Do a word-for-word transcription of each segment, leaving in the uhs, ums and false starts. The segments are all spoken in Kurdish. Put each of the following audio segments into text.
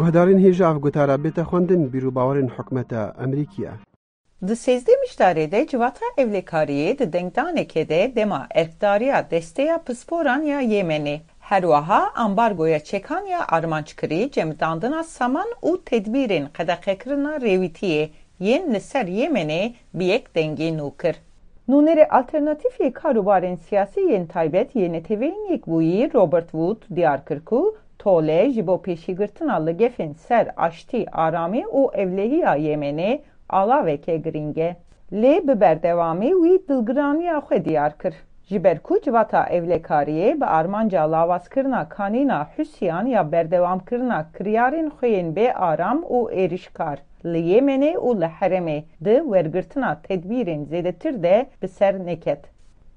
Guhdarên hêja ev gotara bête xwendin, bîr û bawerên hikûmeta Amerîkî ye. Di sêzdeh Mişdarê de Civata Ewlekariyê di dengdanekê de dema erkdariya Desteya Pisporan ya Yemenê, herweha ambargoya çekan ya armanckirî, cemidandina saman û tedbîrên qedexekirina rêwîtiyê yên li ser Yemenê bi yek dengî nû kir. Nûnerê Alternatîf yê Karûbarên Siyasî yên Taybet yê Neteweyên Yekbûyî Robert Wood diyar kir ku tole ji bo pêşîgirtina li gefên ser aştî, aramî û ewlehiya Yemenê alaveke girîng e. Lê bi berdewamî wî dilgiraniya xwe diyar kir. Ji ber ku Civata Ewlekariyê bi armanca lawazkirina kanîna Hûsiyan ya berdewamkirina kiryarên xwe yên bê aram û êrişkar li Yemenê û li herêmê di wergirtina tedbîrên zêdetir de bi ser neket.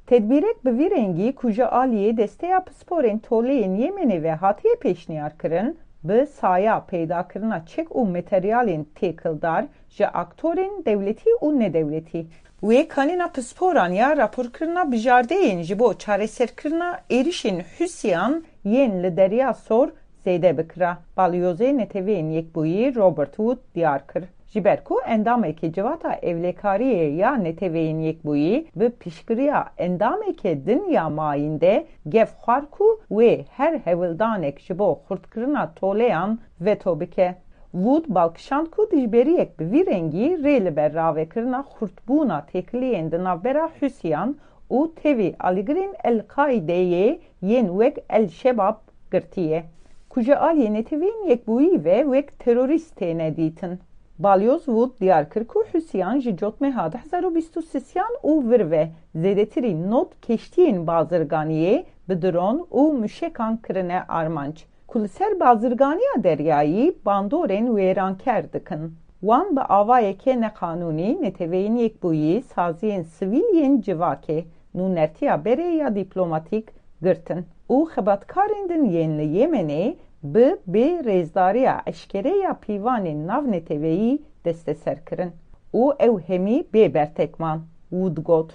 Tedbîrek bi vî rengî ku ji aliyê Desteya Pisporên Toleyên Yemenê ve hatiye pêşniyar kirin, bi saya peydakirina çek û materyalên têkildar ji aktorên dewletî û nedewletî. Wê kanîna pisporan ya raporkirina bijardeyên ji bo çareserkirina êrişên Hûsiyan yên li Derya Sor zêde bikira, Balyozê Neteweyên Yekbûyî Robert Wood diyar kir. Ji ber ku endamekî Civata Ewlekariyê ya Neteweyên Yekbûyî bi piştgiriya endamekê din ya mayînde gef xwar ku wê her hewldanek ji bo xurtkirina toleyan veto bike. Wood bal kişand ku dijberiyek bi vî rengî rê li ber ravekirina xurtbûna têkiliyên di navbera Hûsiyan û tevî alîgirên El-Qaîdeyê yên wek El-Şebab girtiye, ku ji aliyê Neteweyên Yekbûyî ve wek terorîst têne dîtin. Balyoz Wood diyar kir ku Hûsiyan ji cotmeha du hezar û bîst û sêyan û vir ve zêdetirî nod keştiyên bazirganiyê bi dron û muşekan kirine armanc, ku li ser bazirganiya deryayî bandorên wêranker dikin. Wan bi avayeke neqanûnî Neteweyên Yekbûyî, saziyên sivîl yên civakê, nûnertiya berê ya dîplomatîk girtin û xebatkarên din yên li Yemenê bi bê rêzdariya eşkere ya pîvanên navneteweyî desteser kirin û ew hemî bê bertek man, Wood got.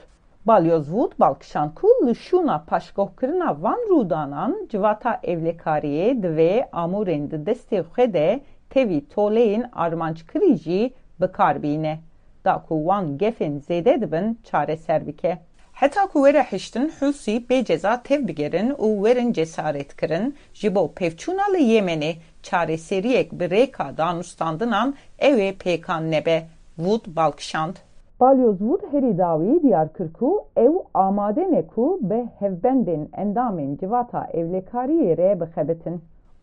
Balyoz Wood bal kişand ku li şûna paşguhkirina van rûdanan Civata Ewlekariyê divê amûrên di destê xwe de tevî toleyên armanckirî jî bi kar bîne, da ku wan gefên zêde dibin çareser bike. Heta ku were hiştin Hûsî bê ceza tev bigerin û werin cesaretkirin, ji bo pevçûna li Yemenê çareseriyek bi rêka danûstandinan ew ê pêkan nebe, Wood bal kişand. Balyoz Wood herî dawî diyar kir ku ew amade ne ku bi hevbendên endamên Civata Ewlekariyê re bixebitin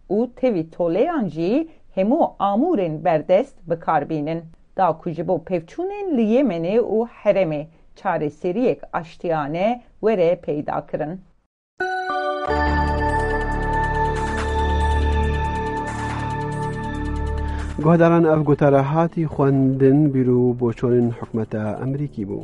û tevî toleyan jî hemû amûrên berdest bi kar bînin, da ku ji bo pevçûnên li Yemenê û herêmê çareseriyek aştiyane were peyda kirin. Guhdaran, ev gotara hatî xwendin, bîr û boçonên hikûmeta Amerîkî bû.